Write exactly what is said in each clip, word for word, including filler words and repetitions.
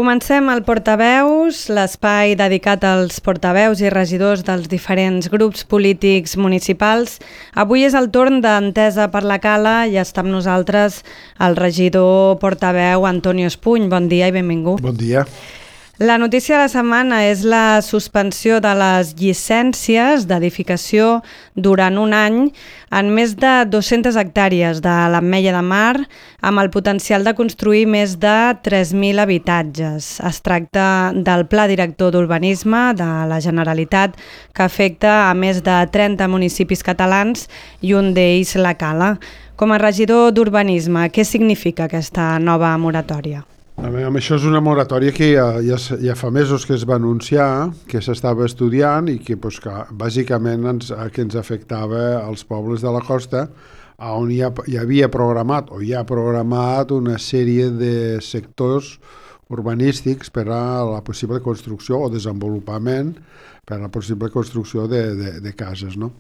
Comencem el Portaveus, l'espai dedicat als portaveus i regidors dels diferents grups polítics municipals. Avui és el torn d'Entesa per la Cala i està amb nosaltres el regidor portaveu Antonio Espuny. Bon dia i benvingut. Bon dia. La notícia de la setmana és la suspensió de les llicències d'edificació durant un any en més de dues-centes hectàrees de l'Ametlla de Mar, amb el potencial de construir més de tres mil habitatges. Es tracta del Pla Director d'Urbanisme de la Generalitat, que afecta a més de trenta municipis catalans i un d'ells la Cala. Com a regidor d'Urbanisme, què significa aquesta nova moratòria? Amb això és una moratòria que ja, ja, ja fa mesos que es va anunciar, que s'estava estudiant i que, pues, que bàsicament ens, que ens afectava als pobles de la costa, on hi, ha, hi havia programat o hi ha programat una sèrie de sectors urbanístics per a la possible construcció o desenvolupament per a la possible construcció de, de, de cases, no?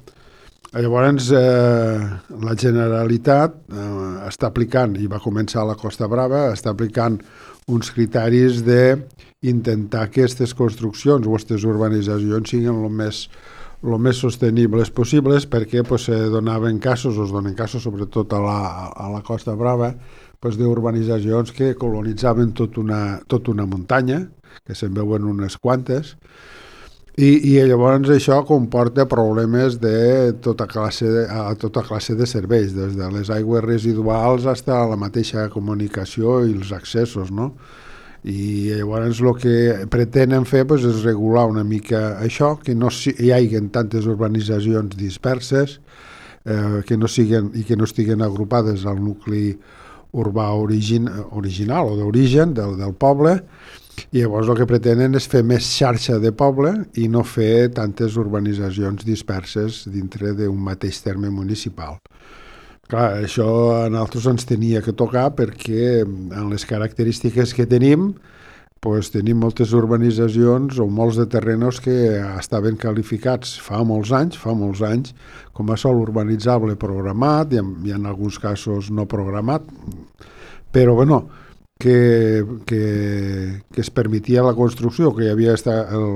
Llavors, eh, la Generalitat eh, està aplicant, i va començar a la Costa Brava, està aplicant uns criteris d'intentar que aquestes construccions o aquestes urbanitzacions siguin el més, el més sostenibles possibles, perquè pues, se donaven casos, o es donen casos, sobretot a la, a la Costa Brava, pues, d'urbanitzacions que colonitzaven tot una, tot una muntanya, que se'n veuen unes quantes, I, i llavors això comporta problemes de tota classe de, a tota classe de serveis, des de les aigües residuals fins a la mateixa comunicació i els accessos, no? I llavors el que pretenen fer pues, és regular una mica això, que no hi hagi tantes urbanitzacions disperses, eh, que no siguen, i que no estiguen agrupades al nucli urbà origin, original o d'origen del, del poble. I llavors el que pretenen és fer més xarxa de poble i no fer tantes urbanitzacions disperses dintre d'un mateix terme municipal. Clar, això a nosaltres ens tenia que tocar perquè en les característiques que tenim, pues, tenim moltes urbanitzacions o molts de terrenos que estaven qualificats fa molts anys, fa molts anys, com a sòl urbanitzable programat i en, i en alguns casos no programat, però bueno, Que, que, que es permetia la construcció, que hi havia esta, el,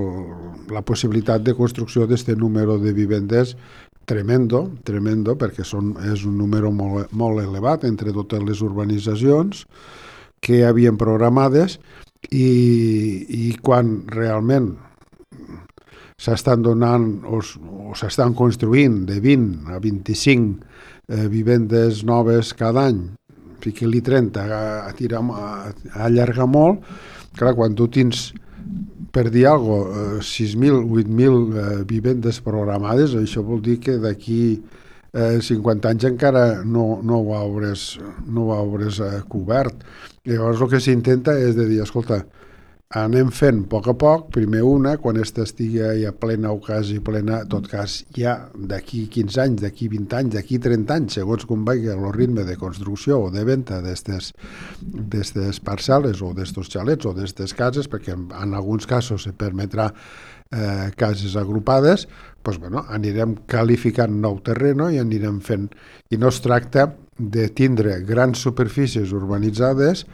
la possibilitat de construcció d'aquest número de vivendes tremendo, tremendo, perquè són, és un número molt, molt elevat entre totes les urbanitzacions que hi havien programades i, i quan realment s'estan donant o, o s'estan construint de vint a vint-i-cinc eh, vivendes noves cada any, fiqui-li trenta, a, tirar, a, a allargar molt, clar, quan tu tens, per dir alguna cosa, sis mil, vuit mil eh, vivendes programades, això vol dir que d'aquí eh, cinquanta anys encara no, no ho hauràs, no ho hauràs eh, cobert. Llavors el que s'intenta és de dir, escolta, anem fent a poc a poc, primer una, quan esta estigui ja plena o quasi plena, en tot cas ja d'aquí quinze anys, d'aquí vint anys, d'aquí trenta anys, segons com vagi el ritme de construcció o de venda d'aquestes parcel·les o d'estos xalets o d'aquestes cases, perquè en, en alguns casos se permetrà eh, cases agrupades, doncs, bueno, anirem qualificant nou terreno i anirem fent. I no es tracta de tindre grans superfícies urbanitzades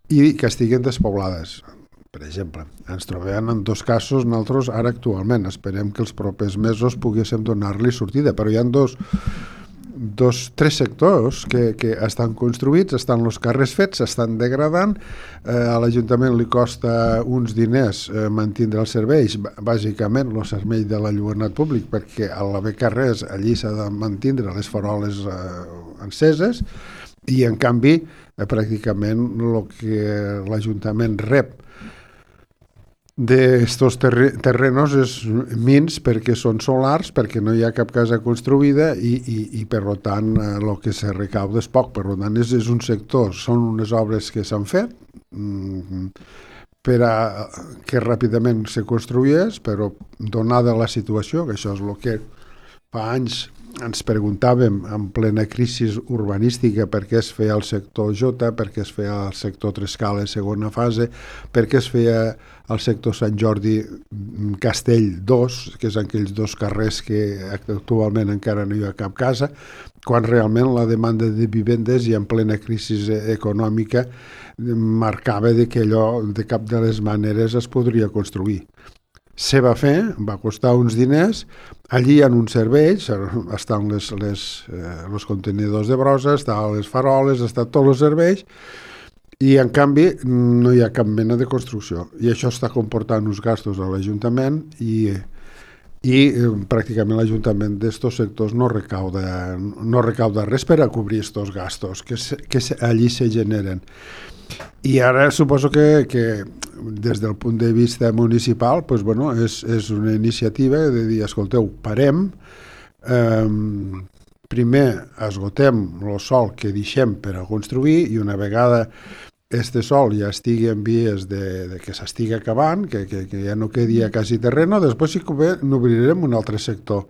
i que estiguen despoblades. Per exemple, ens trobem en dos casos nosaltres ara actualment. Esperem que els propers mesos poguéssim donar-li sortida, però hi ha dos, dos tres sectors que, que estan construïts, estan els carrers fets, s'estan degradant, eh, a l'Ajuntament li costa uns diners eh, mantindre els serveis, bàsicament el servei de l'enlluernat públic, perquè a l'haver carrers allí s'ha de mantindre les faroles eh, enceses, i en canvi eh, pràcticament el que l'Ajuntament rep d'estos terrenos és mins perquè són solars, perquè no hi ha cap casa construïda i, i, i per tant el que se recauda és poc. Per tant és, és un sector, són unes obres que s'han fet mm, per a que ràpidament se construís, però donada la situació, que això és el que fa anys ens preguntàvem en plena crisi urbanística per què es feia el sector J, per què es feia el sector Trescales segona fase, per què es feia el sector Sant Jordi Castell dos, que és aquells dos carrers que actualment encara no hi ha cap casa, quan realment la demanda de vivendes i en plena crisi econòmica marcava de que allò de cap de les maneres es podria construir. Se va fer, va costar uns diners, allí hi ha uns serveis, estan les, les, eh, els contenidors de brossa, estan les faroles, estan tots els serveis, i en canvi no hi ha cap mena de construcció. I això està comportant uns gastos a l'Ajuntament i, i eh, pràcticament l'Ajuntament d'estos sectors no recauda, no recauda res per a cobrir estos gastos que, se, que se, allí se generen. I ara suposo que, que des del punt de vista municipal pues, bueno, és, és una iniciativa de dir, escolteu, parem, eh, primer esgotem el sòl que deixem per a construir i una vegada este sòl ja estigui en vies de, de que s'estigui acabant, que, que, que ja no quedi a quasi terreno, després sí que n'obrirem un altre sector.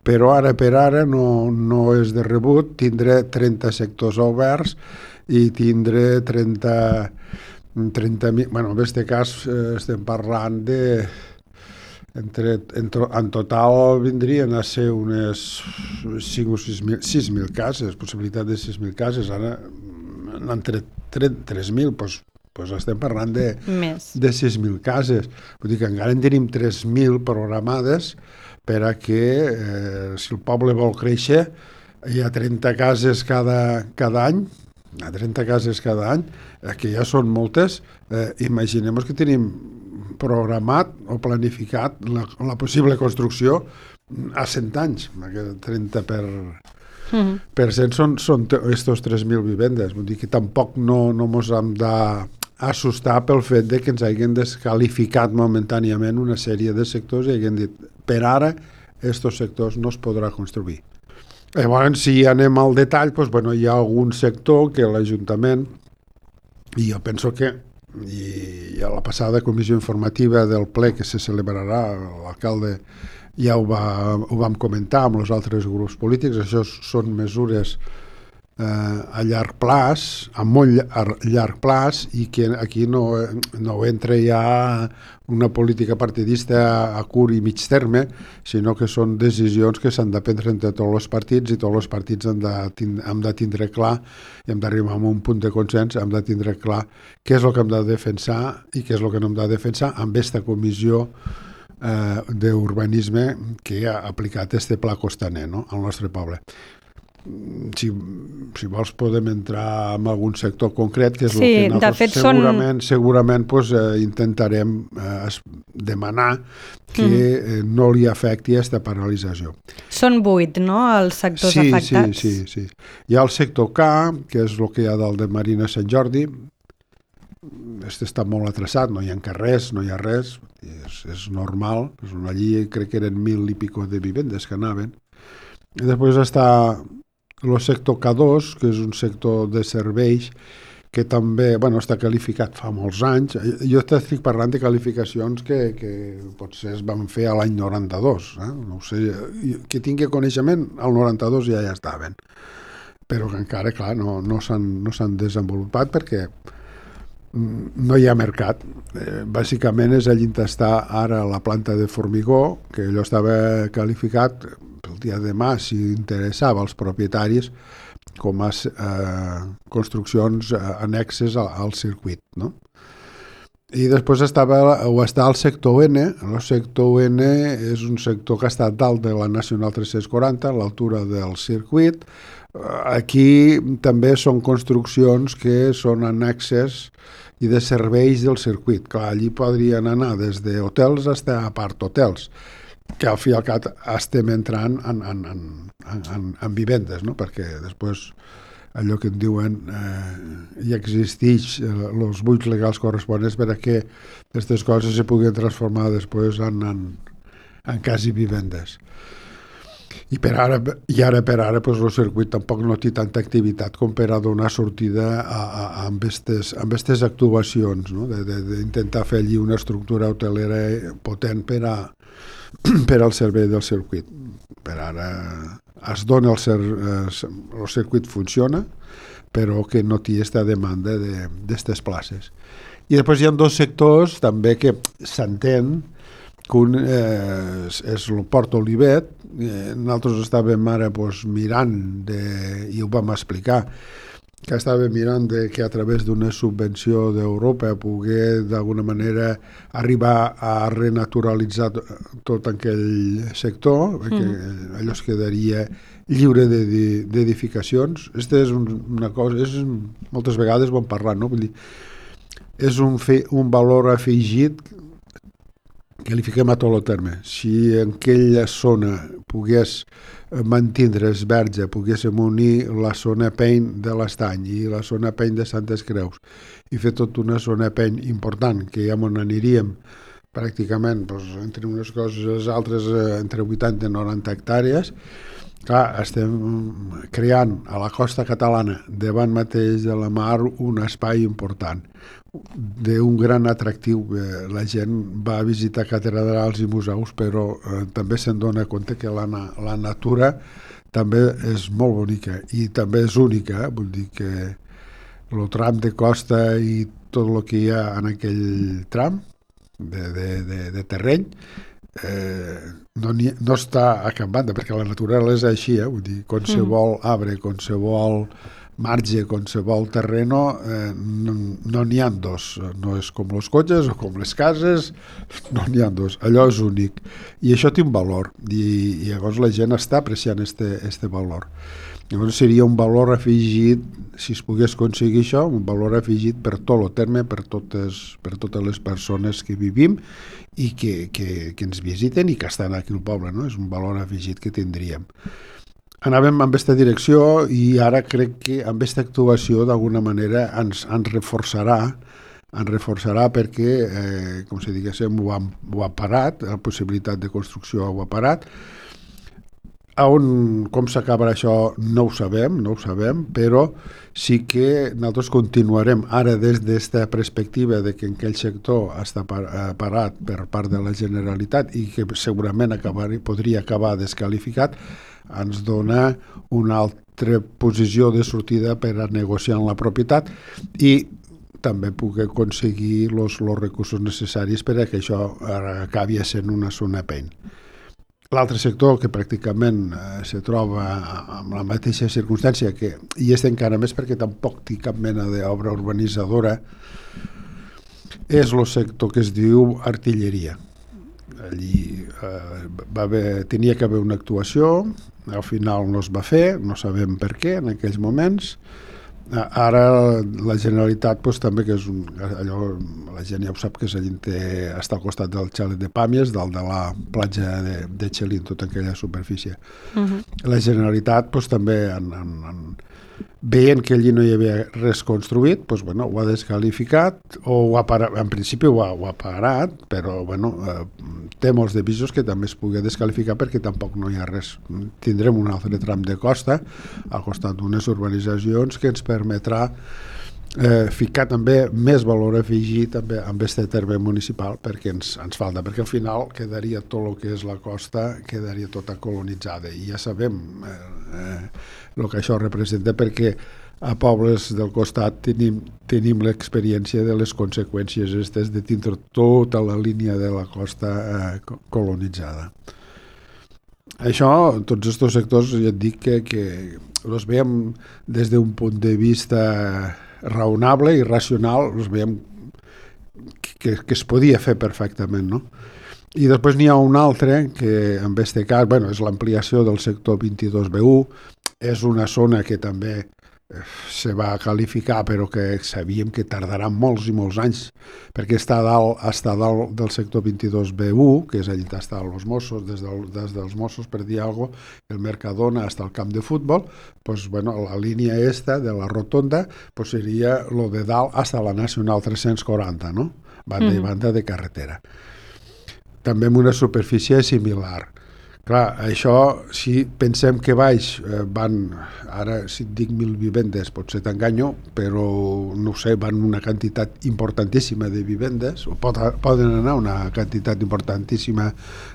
Però ara per ara no, no és de rebut, tindré trenta sectors oberts i tindré trenta, trenta mil, bueno, en aquest cas eh, estem parlant de, entre, en, en total vindrien a ser unes cinc o sis mil cases, possibilitat de sis mil cases, ara entre tres mil, doncs, doncs estem parlant de, de sis mil cases. Vull dir que encara en tenim tres mil programades per a que, eh, si el poble vol créixer, hi ha trenta cases cada, cada any, hi ha trenta cases cada any, eh, que ja són moltes, eh, imaginem que tenim programat o planificat la, la possible construcció a cent anys, trenta per... Mm-hmm. Per cent són, són estos tres mil vivendes, vull dir que tampoc no, no mos hem d'assustar pel fet de que ens hagin descalificat momentàniament una sèrie de sectors i hagin dit, per ara, estos sectors no es podrà construir. Llavors, si anem al detall, doncs, bueno, hi ha algun sector que l'Ajuntament, i jo penso que i a la passada comissió informativa del ple que se celebrarà, l'alcalde ja ho, va, ho vam comentar amb els altres grups polítics, això són mesures eh, a llarg plaç, a molt llarg plaç, i que aquí no, no entra ja una política partidista a curt i mig terme, sinó que són decisions que s'han de prendre entre tots els partits i tots els partits hem de, hem de tindre clar i hem d'arribar a un punt de consens, hem de tindre clar què és el que hem de defensar i què és el que no hem de defensar amb aquesta comissió Eh, d'urbanisme que ha aplicat este pla costaner, no?, al nostre poble. Si, si vols podem entrar en algun sector concret, que és sí, el que nosaltres segurament, són... segurament pues, eh, intentarem eh, demanar que mm. eh, no li afecti aquesta paralització. Són vuit, no?, els sectors sí, afectats? Sí, sí, sí. Hi ha el sector K, que és el que hi ha dalt de Marina Sant Jordi. Este està molt atrasat, no hi ha carrers, no hi ha res, és, és normal, allí crec que eren mil i pico de vivendes que anaven. I després està el sector K dos, que és un sector de serveis que també bueno, està qualificat fa molts anys. Jo estic parlant de qualificacions que, que potser es van fer a l'any noranta-dos. Eh? No ho sé, que tingui coneixement, al noranta-dos ja ja estaven. Però que encara, clar, no, no s'han no s'han desenvolupat perquè no hi ha mercat. Eh, bàsicament és allí on està ara la planta de formigó, que allò estava qualificat pel dia de demà, si interessava als propietaris, com a eh, construccions eh, annexes al, al circuit, no? I després estava, o està el sector N. El sector N és un sector que ha estat dalt de la Nacional tres-cents quaranta, a l'altura del circuit. Aquí també són construccions que són annexes i de serveis del circuit. Clar, allí podrien anar des d'hotels fins a apart hotels, que al fi i al cap estem entrant en, en, en, en, en vivendes, no? Perquè després allò que en diuen eh, hi existeix els buits legals corresponents per a que aquestes coses se puguin transformar després en, en, en quasi vivendes. I, per ara, i ara per ara pues, el circuit tampoc no té tanta activitat com per a donar sortida a, a, a amb aquestes actuacions, no? D'intentar fer allí una estructura hotelera potent per, a, per al servei del circuit. per ara es dona el, cer el circuit funciona, però que no té aquesta demanda d'aquestes places. I després hi ha dos sectors també que s'entén que un eh, és el Port Olivet. Eh, nosaltres estàvem ara pues, mirant, de, i ho vam explicar, que estàvem mirant de que a través d'una subvenció d'Europa poder d'alguna manera arribar a renaturalitzar tot aquell sector, mm. perquè allò es quedaria lliure d'edificacions. Aquesta és una cosa, és, moltes vegades vam parlar, no? Vull dir, és un, fe, un valor afegit que li fiquem a tot el terme. Si en aquella zona pogués mantindre's verge, poguéssim unir la zona Peny de l'Estany i la zona Peny de Santes Creus i fer tota una zona Peny important, que ja on aniríem pràcticament doncs, entre unes coses i les altres entre vuitanta i noranta hectàrees. Clar, estem creant a la costa catalana, davant mateix de la mar, un espai important d'un gran atractiu. La gent va a visitar catedrals i museus, però eh, també se'n dona compte que la, la natura també és molt bonica i també és única. Eh? Vull dir que el tram de costa i tot el que hi ha en aquell tram de, de, de, de terreny eh, no, ni, no està a cap banda, perquè la naturalesa és així, eh? Vull dir, qualsevol arbre, qualsevol marge, qualsevol terreno, eh, no n'hi no ha dos. No és com els cotxes o com les cases, no n'hi ha dos. Allò és únic. I això té un valor. I, i llavors la gent està apreciant este, este valor. Llavors seria un valor afegit, si es pogués aconseguir això, un valor afegit per tot el terme, per totes, per totes les persones que vivim i que, que, que ens visiten i que estan aquí al poble, no? És un valor afegit que tindríem. Anàvem amb aquesta direcció i ara crec que amb aquesta actuació d'alguna manera ens, ens reforçarà ens reforçarà perquè, eh, com si diguéssim, ho ha, ho ha parat, la possibilitat de construcció ho ha parat. On, com s'acabarà això no ho sabem, no ho sabem, però sí que nosaltres continuarem ara des d'esta perspectiva de que aquell sector està parat per part de la Generalitat i que segurament acabar, podria acabar desqualificat, ens dona una altra posició de sortida per a negociar la propietat i també poder aconseguir els recursos necessaris per a que això acabi sent una zona Peny. L'altre sector que pràcticament eh, se troba amb la mateixa circumstància, que, i és encara més perquè tampoc té cap mena d'obra urbanitzadora, és el sector que es diu artilleria. Allí eh, va haver, tenia que haver una actuació, al final no es va fer, no sabem per què en aquells moments. Ara la Generalitat pues, també, que és un, allò, la gent ja ho sap, que és allí té, està al costat del xalet de Pàmies, dalt de la platja de, de Xelín, tota aquella superfície. Uh-huh. La Generalitat pues, també en, en, en, veient que allí no hi havia res construït, pues, bueno, ho ha desqualificat, o ho ha parat, en principi ho ha, ho ha parat, però bueno, eh, té molts de pisos que també es pugui desqualificar perquè tampoc no hi ha res. Tindrem un altre tram de costa al costat d'unes urbanitzacions que ens permetrà eh, ficar també més valor afegit també amb aquest terme municipal perquè ens, ens falta, perquè al final quedaria tot el que és la costa, quedaria tota colonitzada i ja sabem eh, eh, el que això representa, perquè a pobles del costat tenim, tenim l'experiència de les conseqüències aquestes de tindre tota la línia de la costa eh, colonitzada. Això, tots aquests sectors, ja et dic que, que els veiem des d'un punt de vista raonable i racional, els veiem que, que es podia fer perfectament, no? I després n'hi ha un altre que en aquest cas, bueno, és l'ampliació del sector vint-i-dos B u, és una zona que també se va qualificar però que sabíem que tardarà molts i molts anys perquè està dalt, està dalt del sector vint-i-dos B u, que és allà on estan els Mossos, des, del, des dels Mossos per dir alguna cosa, el Mercadona fins al camp de futbol, pues, bueno, la línia esta de la rotonda pues, seria lo de dalt fins a la Nacional tres-cents quaranta, no? Banda mm. i banda de carretera. També amb una superfície similar. Clar, això, si pensem que baix eh, van, ara si et dic mil vivendes, potser t'enganyo, però no sé, van una quantitat importantíssima de vivendes, o pot, poden anar una quantitat importantíssima,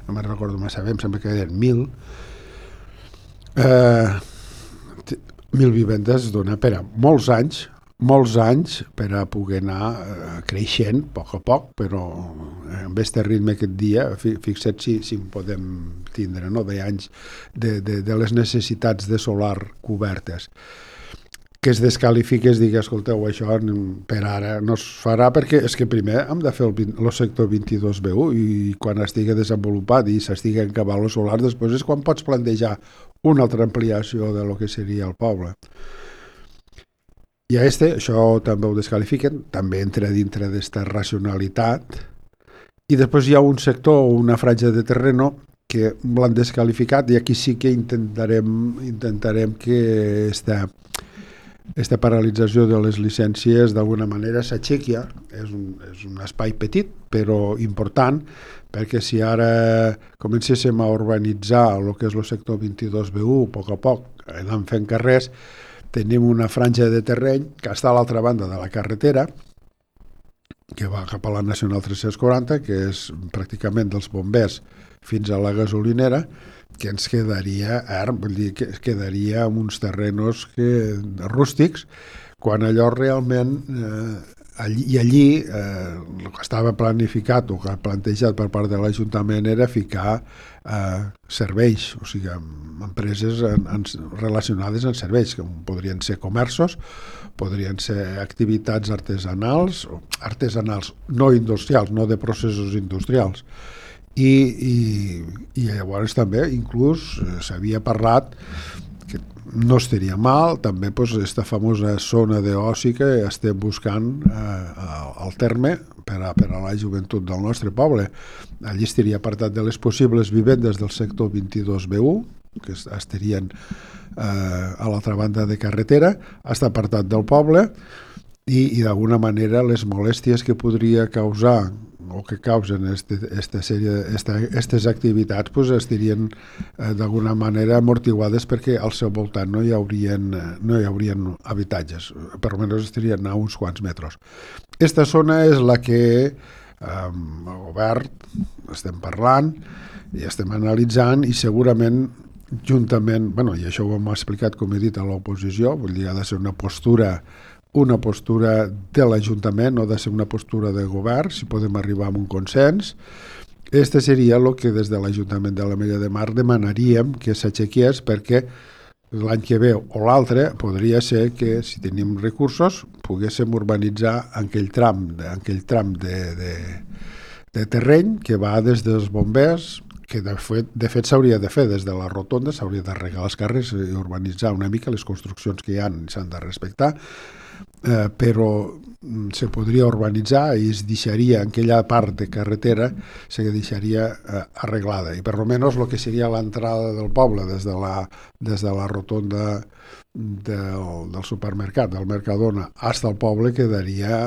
no me'n recordo massa bé, em sembla que eren mil, Eh, mil vivendes dona per a molts anys, molts anys per a poder anar eh, creixent a poc a poc, però amb aquest ritme aquest dia, fixa't si, si podem tindre, no?, d'anys de, de, de les necessitats de solar cobertes. Que es descalifiqui, es digui, escolteu, això per ara no es farà, perquè és que primer hem de fer el, el sector vint-i-dos B U i quan estigui desenvolupat i s'estigui acabant el solar, després és quan pots plantejar una altra ampliació de lo que seria el poble. I a este, això també ho descalifiquen, també entra dintre d'esta racionalitat, i després hi ha un sector o una franja de terreno que l'han descalificat, i aquí sí que intentarem, intentarem que esta Aquesta paralització de les llicències d'alguna manera s'aixequi. És un, és un espai petit però important, perquè si ara comencéssim a urbanitzar el que és el sector vint-i-dos B U a poc a poc, anant fent carrers, tenim una franja de terreny que està a l'altra banda de la carretera, que va cap a la Nacional tres-cents quaranta, que és pràcticament dels bombers fins a la gasolinera, que ens quedaria erm, vull dir, que quedaria amb uns terrenos que, rústics, quan allò realment, eh, allí, i allí eh, el que estava planificat o que ha plantejat per part de l'Ajuntament era ficar eh, serveis, o sigui, empreses en, en, relacionades amb serveis, que podrien ser comerços, podrien ser activitats artesanals, artesanals no industrials, no de processos industrials. I, i, i llavors també inclús eh, s'havia parlat que no estaria mal també pues, aquesta famosa zona d'oci que estem buscant eh, al terme per a, per a la joventut del nostre poble. Allí estaria apartat de les possibles vivendes del sector vint-i-dos B U, que estarien eh, a l'altra banda de carretera, està apartat del poble, i, i d'alguna manera les molèsties que podria causar o que causen este, esta sèrie, esta, aquestes activitats pues, estarien eh, d'alguna manera amortiguades perquè al seu voltant no hi haurien, no hi haurien habitatges, per almenys estarien a uns quants metres. Esta zona és la que eh, el govern estem parlant i estem analitzant, i segurament juntament, bueno, i això ho hem explicat com he dit a l'oposició, vull dir, ha de ser una postura una postura de l'Ajuntament, no ha de ser una postura de govern, si podem arribar a un consens. Este seria el que des de l'Ajuntament de l'Ametlla de Mar demanaríem que s'aixequés, perquè l'any que ve o l'altre podria ser que, si tenim recursos, poguéssim urbanitzar aquell tram, aquell tram de, de, de terreny que va des dels bombers, que de fet, de fet s'hauria de fer des de la rotonda, s'hauria d'arreglar els carrers i urbanitzar una mica les construccions que hi ha, s'han de respectar, eh, però se podria urbanitzar i es deixaria aquella part de carretera se deixaria eh, arreglada, i per almenys el que seria l'entrada del poble des de la, des de la rotonda del, del supermercat, del Mercadona, fins al poble quedaria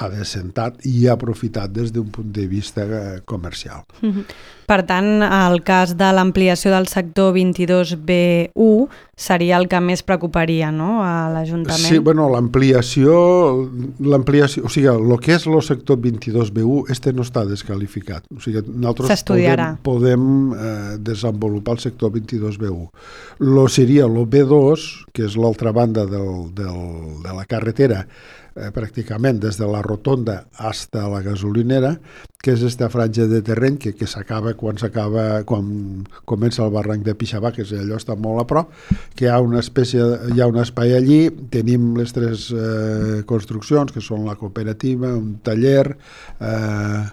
adecentat i aprofitat des d'un punt de vista comercial. Mm-hmm. Per tant, el cas de l'ampliació del sector vint-i-dos B U seria el que més preocuparia, no?, a l'Ajuntament. Sí, bueno, l'ampliació, l'ampliació, o sigui, el que és el sector vint-i-dos B U, este no està desqualificat. O sigui, nosaltres podem, podem eh, desenvolupar el sector vint-i-dos B U. Lo seria el B dos, que és l'altra banda del, del, de la carretera, eh, pràcticament des de la rotonda fins a la gasolinera, que és aquesta franja de terreny que, que s'acaba quan s'acaba, quan comença el barranc de Pixabà, que és allò està molt a prop, que hi ha una espècie, hi ha un espai allí, tenim les tres eh, construccions, que són la cooperativa, un taller, eh,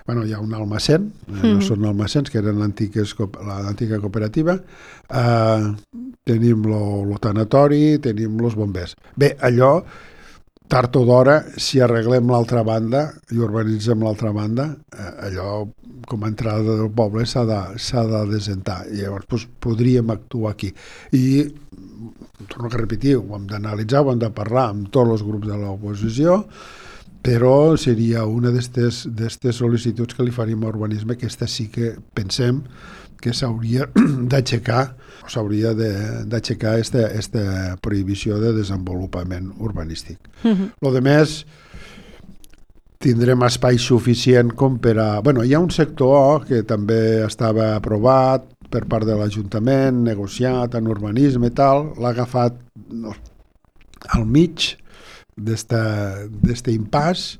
bueno, hi ha un almacén, eh, mm. no són almacens, que eren l'antiga cooperativa, eh, tenim el tanatori, tenim els bombers. Bé, allò, tard o d'hora, si arreglem l'altra banda i urbanitzem l'altra banda, eh, allò com a entrada del poble s'ha de, s'ha de desentar, i llavors doncs, podríem actuar aquí. I, torno a repetir, ho hem d'analitzar, ho hem de parlar amb tots els grups de l'oposició, però seria una d'aquestes sol·licituds que li faríem a urbanisme, que aquesta sí que pensem que s'hauria d'aixecar o s'hauria d'aixecar aquesta prohibició de desenvolupament urbanístic. Uh-huh. Lo de més, tindrem espai suficient com per a... Bueno, hi ha un sector que també estava aprovat, per part de l'Ajuntament, negociat en urbanisme i tal, l'ha agafat no, al mig d'este impàs.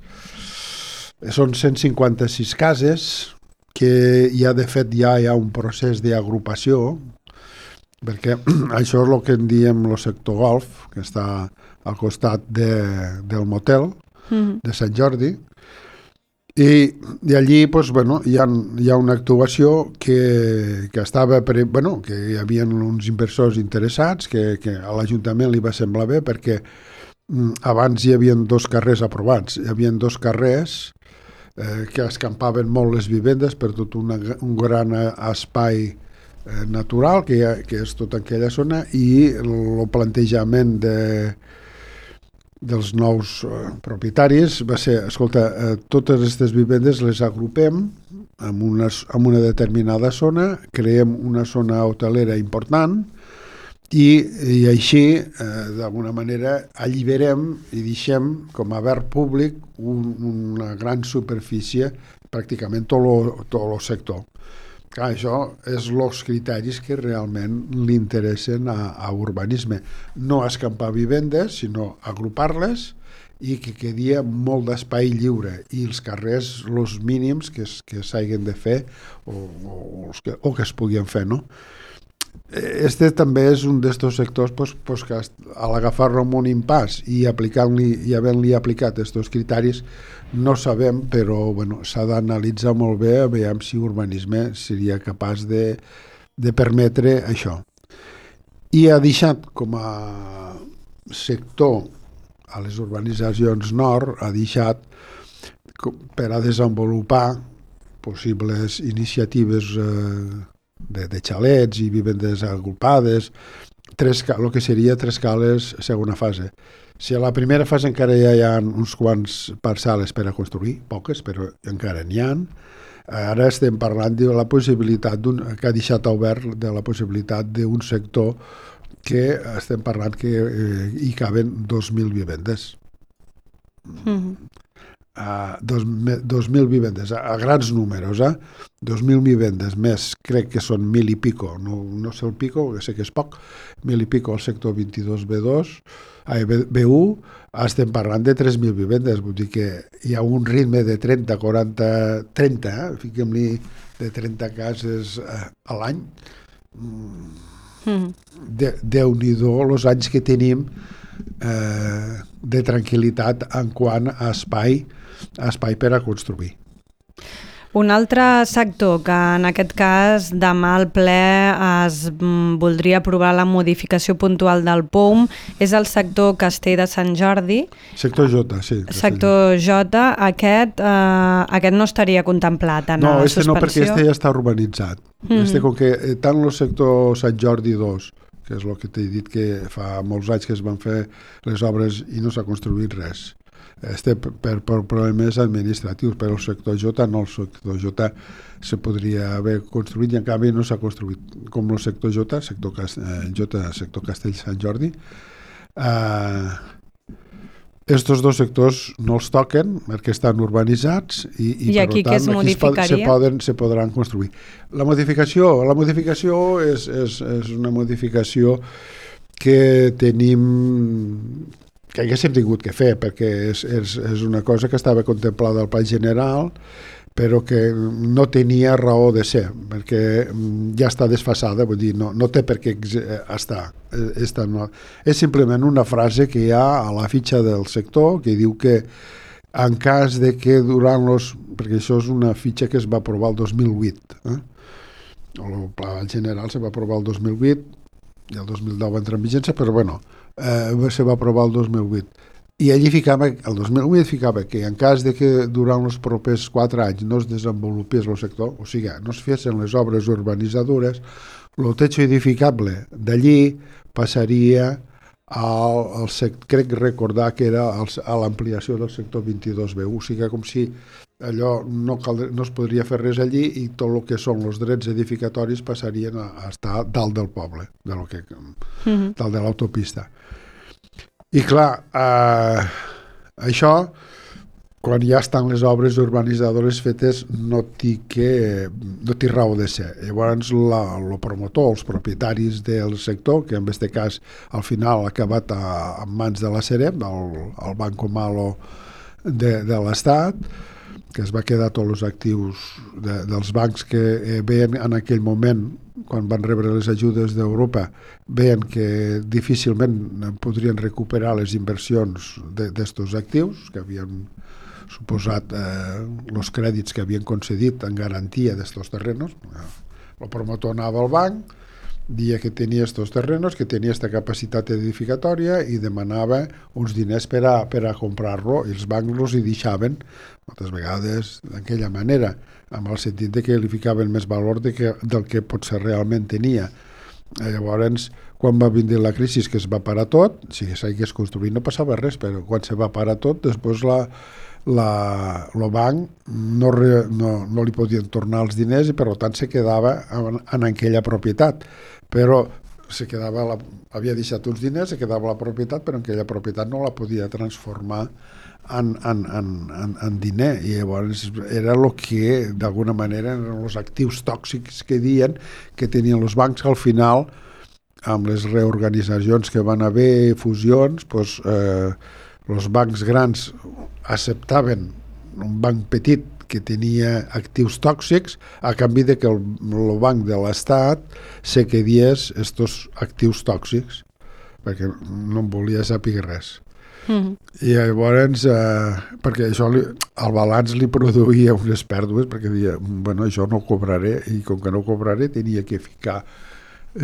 Són cent cinquanta-sis cases que ja de fet ja hi ha un procés d'agrupació, perquè això és el que en diem el sector golf, que està al costat de, del motel mm. de Sant Jordi, i, i allí pues, bueno, hi, ha, hi ha una actuació que, que estava, per, bueno, que hi havia uns inversors interessats, que, que a l'Ajuntament li va semblar bé, perquè abans hi havia dos carrers aprovats, hi havia dos carrers eh, que escampaven molt les vivendes per tot una, un gran espai eh, natural que, ha, que és tota aquella zona, i el plantejament de, dels nous eh, propietaris va ser, escolta, eh, totes aquestes vivendes les agrupem en una, en una determinada zona, creem una zona hotelera important, I, i així, eh, d'alguna manera, alliberem i deixem com a verd públic un, una gran superfície, pràcticament tot el sector. Clar, això és els criteris que realment li interessen a, a urbanisme. No escampar vivendes, sinó agrupar-les i que quedi molt d'espai lliure, i els carrers, els mínims que, que s'hagin de fer o, o, que, o que es puguin fer, no? Este també és un d'estos sectors pues, pues, que a l'agafar-lo amb un impàs i aplicant-li i havent-li aplicat aquests criteris no sabem, però bueno, s'ha d'analitzar molt bé a veure si urbanisme seria capaç de, de permetre això. I ha deixat com a sector a les urbanitzacions nord, ha deixat per a desenvolupar possibles iniciatives eh, De, de xalets i vivendes agrupades, tres, el que seria tres cales segona fase. Si a la primera fase encara ja hi ha uns quants parcel·les per a construir, poques, però encara n'hi ha, ara estem parlant de la possibilitat, que ha deixat obert de la possibilitat d'un sector que estem parlant que eh, hi caben dos mil vivendes. Mm-hmm. Uh, dos, dos mil vivendes, a, a grans números, eh? dos mil vivendes més, crec que són mil i pico, no, no sé el pico, que sé que és poc, mil i pico al sector vint-i-dos B dos, ai, B u, estem parlant de tres mil vivendes, vull dir que hi ha un ritme de trenta, quaranta, trenta, eh? Fiquem-li de trenta cases eh, a l'any. Mm. De, Déu-n'hi-do els anys que tenim eh, de tranquil·litat en quant a espai espai per a construir. Un altre sector que en aquest cas demà al ple es voldria aprovar la modificació puntual del P O U M és el sector Castell de Sant Jordi. Sector J, sí. Sector J, aquest, eh, aquest no estaria contemplat en no, la este suspensió? No, perquè este ja està urbanitzat. Mm-hmm. Este, com que tant el sector Sant Jordi dos, que és el que t'he dit que fa molts anys que es van fer les obres i no s'ha construït res, Este per, per problemes administratius, però el sector J no, el sector J se podria haver construït i en canvi no s'ha construït, com el sector J, sector, eh, J, sector Castell Sant Jordi. Eh, estos dos sectors no els toquen perquè estan urbanitzats i, i, I aquí per tant què es modificaria? Se, poden, se podran construir. La modificació, la modificació és, és, és una modificació que tenim que haguéssim tingut que fer, perquè és, és, és una cosa que estava contemplada al Pla General, però que no tenia raó de ser, perquè ja està desfasada, vull dir, no, no té per què estar. Esta no. És simplement una frase que hi ha a la fitxa del sector que diu que en cas de que durant los... perquè això és una fitxa que es va aprovar el dos mil vuit, eh? El Pla General se va aprovar el dos mil vuit i el dos mil deu va entrar en vigència, però bueno, eh, se va aprovar el dos mil vuit. I allí ficava, el dos mil vuit ficava que en cas de que durant els propers quatre anys no es desenvolupés el sector, o sigui, no es fessin les obres urbanitzadores, el techo edificable d'allí passaria al, al sector, crec recordar que era al, a l'ampliació del sector vint-i-dos B u, o sigui, com si allò no, caldre, no es podria fer res allí i tot el que són els drets edificatoris passarien a, a estar dalt del poble, de lo que, mm-hmm. dalt de l'autopista. I clar, eh, això quan ja estan les obres urbanitzadores fetes no té que, no té raó de ser. Llavors el promotor, els propietaris del sector, que en aquest cas al final ha acabat a, en mans de la Sareb, el, el Banco Malo de, de l'Estat, que es va quedar tots els actius de, dels bancs que eh, veien en aquell moment, quan van rebre les ajudes d'Europa, veien que difícilment podrien recuperar les inversions d'estos actius, que havien suposat eh, els crèdits que havien concedit en garantia d'estos terrenos. El promotor anava al banc, dia que tenia estos terrenos, que tenia esta capacitat edificatòria i demanava uns diners per a, per a comprar-lo, i els bancs els hi deixaven moltes vegades d'aquella manera, amb el sentit de que li ficaven més valor de que, del que potser realment tenia. Llavors, quan va vindre la crisi, que es va parar tot, si s'hagués construït no passava res, però quan se va parar tot, després la, la, el banc no, re, no, no li podien tornar els diners i per tant se quedava en, en aquella propietat. Però se quedava la, havia deixat uns diners, se quedava la propietat, però aquella propietat no la podia transformar en, en, en, en, en diner, i llavors era el que d'alguna manera eren els actius tòxics que diuen que tenien els bancs, que al final amb les reorganitzacions que van haver, fusions, doncs, eh, els bancs grans acceptaven un banc petit que tenia actius tòxics a canvi de que el, el banc de l'Estat se quedies estos actius tòxics, perquè no en volia saber res. Mm-hmm. I llavors, eh, perquè això li, el balanç li produïa unes pèrdues, perquè deia, bueno, això no cobraré, i com que no cobraré tenia que ficar,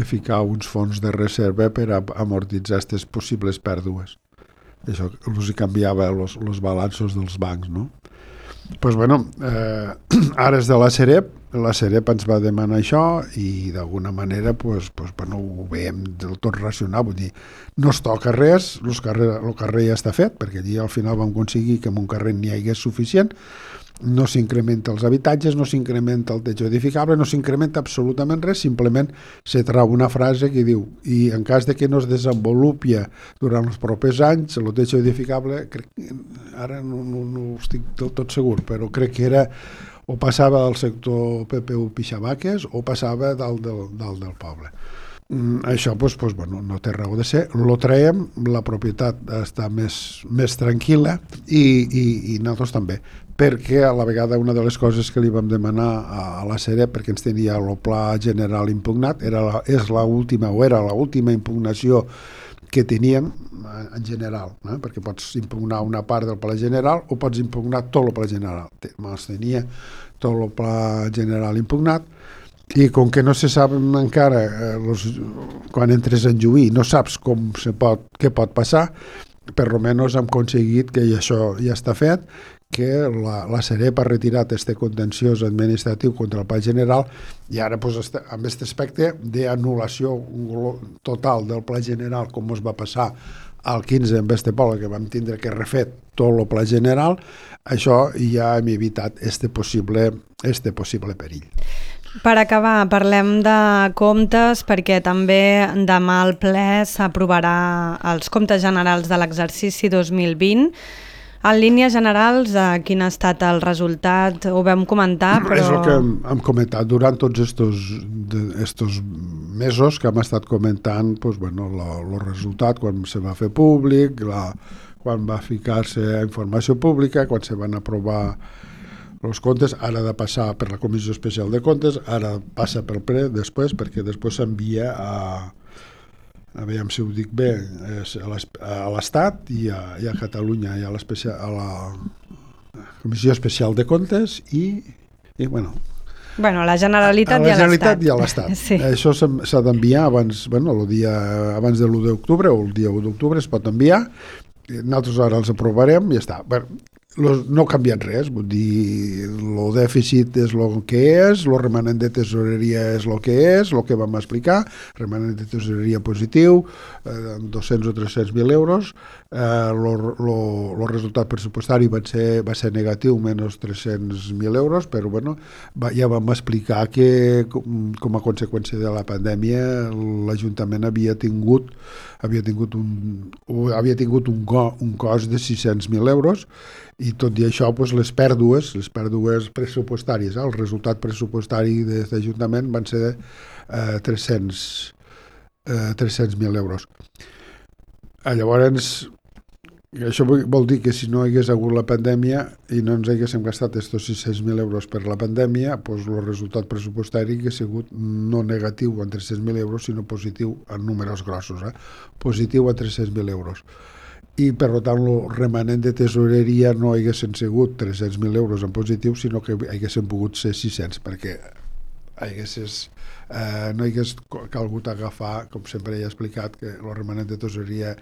ficar uns fons de reserva per a amortitzar aquestes possibles pèrdues. Això els canviava els, els balanços dels bancs, no? Pues bueno, eh, ara és de la Sareb, la Sareb ens va demanar això i d'alguna manera pues, pues, bueno, ho veiem del tot racional, vull dir, no es toca res, el carrer, el carrer ja està fet, perquè allí al final vam aconseguir que en un carrer n'hi hagués suficient, no s'incrementa els habitatges, no s'incrementa el techo edificable, no s'incrementa absolutament res, simplement se trau una frase que diu, i en cas de que no es desenvolupi durant els propers anys, el techo edificable, crec, ara no, no, no estic del tot segur, però crec que era o passava del sector P P U Pixabaques o passava dalt del, dalt del poble. Mm, això pues, pues, bueno, no té raó de ser, lo traiem, la propietat està més, més tranquil·la i, i, i nosaltres també, perquè a la vegada una de les coses que li vam demanar a, a la Sareb, perquè ens tenia el pla general impugnat, era la, és l'última o era l'última impugnació que teníem en general, eh? Perquè pots impugnar una part del pla general o pots impugnar tot el pla general. Ens tenia tot el pla general impugnat, i com que no se sap encara, eh, los, quan entres en juí, no saps com se pot, què pot passar, per almenys hem aconseguit que això ja està fet, que la, la Sareb ha retirat este contenciós administratiu contra el Pla General i ara pues, este, amb aquest aspecte d'anul·lació total del Pla General, com es va passar al quinze en este poble, que vam tindre que refet tot el Pla General, això ja hem evitat este possible, este possible perill. Per acabar, parlem de comptes, perquè també demà al ple s'aprovarà els comptes generals de l'exercici dos mil vint. En línies generals, quin ha estat el resultat? Ho vam comentar, però... És el que hem, hem comentat durant tots estos, de, estos mesos que hem estat comentant, pues, bueno, el resultat, quan se va fer públic, la, quan va ficar-se a informació pública, quan se van aprovar els comptes, ara ha de passar per la Comissió Especial de Comptes, ara passa pel ple després, perquè després s'envia a, a veure si ho dic bé, a l'Estat i a, i a Catalunya, i a, a la Comissió Especial de Comptes i, i bueno... Bueno, la Generalitat, a la Generalitat i a l'Estat. Sí. Això s'ha d'enviar abans, bueno, el dia, abans de l'u d'octubre, o el dia u d'octubre es pot enviar, nosaltres ara els aprovarem i ja està. Bueno, no ha canviat res, vull dir, el dèficit és el que és, el remanent de tesoreria és el que és, el que vam explicar, remanent de tesoreria positiu, eh, dos-cents o tres-cents mil euros, el eh, resultat pressupostari va ser, va ser negatiu, menys tres-cents mil euros, però bueno, va, ja vam explicar que com, com a conseqüència de la pandèmia l'Ajuntament havia tingut havia tingut un, havia tingut un, un cost de sis-cents mil euros I tot i això, doncs, les pèrdues, les pèrdues pressupostàries, eh, el resultat pressupostari de l'Ajuntament van ser de eh, tres-cents mil euros. Eh, llavors, això vol dir que si no hi hagués hagut la pandèmia i no ens haguéssim gastat aquests sis-cents mil euros per la pandèmia, doncs el resultat pressupostari hauria sigut no negatiu en tres-cents mil euros, sinó positiu en números grossos, eh? Positiu a tres-cents mil euros. I, per tant, el remanent de tesoreria no haguessin sigut tres-cents mil euros en positiu, sinó que haguessin pogut ser sis-cents, perquè haguessis, eh, no hagués calgut agafar, com sempre he explicat, que el remanent de tesoreria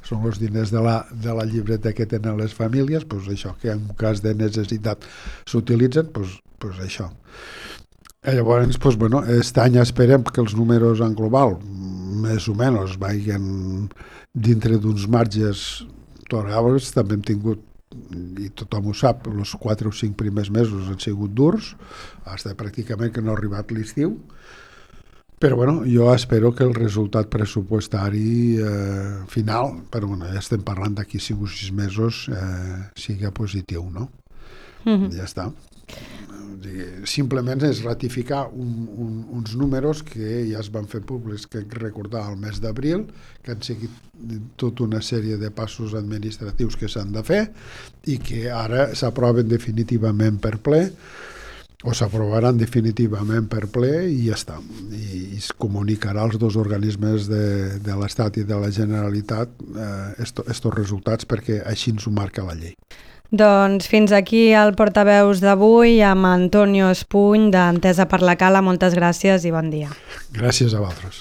són els diners de la, de la llibreta que tenen les famílies, doncs això, que en cas de necessitat s'utilitzen, doncs, doncs això. I llavors, doncs, bueno, aquest any esperem que els números en global, més o menys, vagin dintre d'uns marges tolerables. També hem tingut, i tothom ho sap, els quatre o cinc primers mesos han sigut durs, fins pràcticament que no ha arribat l'estiu, però bueno, jo espero que el resultat pressupostari eh, final, però bueno, ja estem parlant d'aquí cinc o sis mesos, eh, sigui positiu, no? Mm-hmm. Ja està. Simplement és ratificar un, un, uns números que ja es van fer públics, que recordar al mes d'abril, que han seguit tota una sèrie de passos administratius que s'han de fer i que ara s'aproven definitivament per ple o s'aprovaran definitivament per ple i ja està. I es comunicarà als dos organismes de, de l'Estat i de la Generalitat eh, estos resultats, perquè així ens ho marca la llei. Doncs fins aquí el portaveus d'avui amb Antonio Espuny d'Entesa per la Cala. Moltes gràcies i bon dia. Gràcies a vosaltres.